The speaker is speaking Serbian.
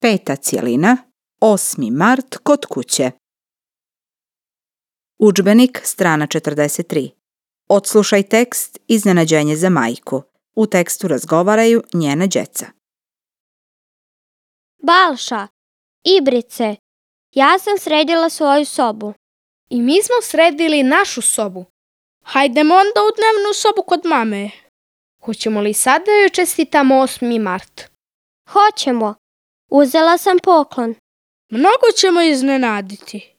5. cjelina, 8. mart kod kuće. Udžbenik, strana 43. Odslušaj tekst Iznenađenje za majku. U tekstu razgovaraju njena đeca. Balša, Ibrice, ja sam sredila svoju sobu. I mi smo sredili našu sobu. Hajdemo onda u dnevnu sobu kod mame. Hoćemo li sad da joj čestitamo 8. mart? Hoćemo. Uzela sam poklon. Mnogo ćemo iznenaditi.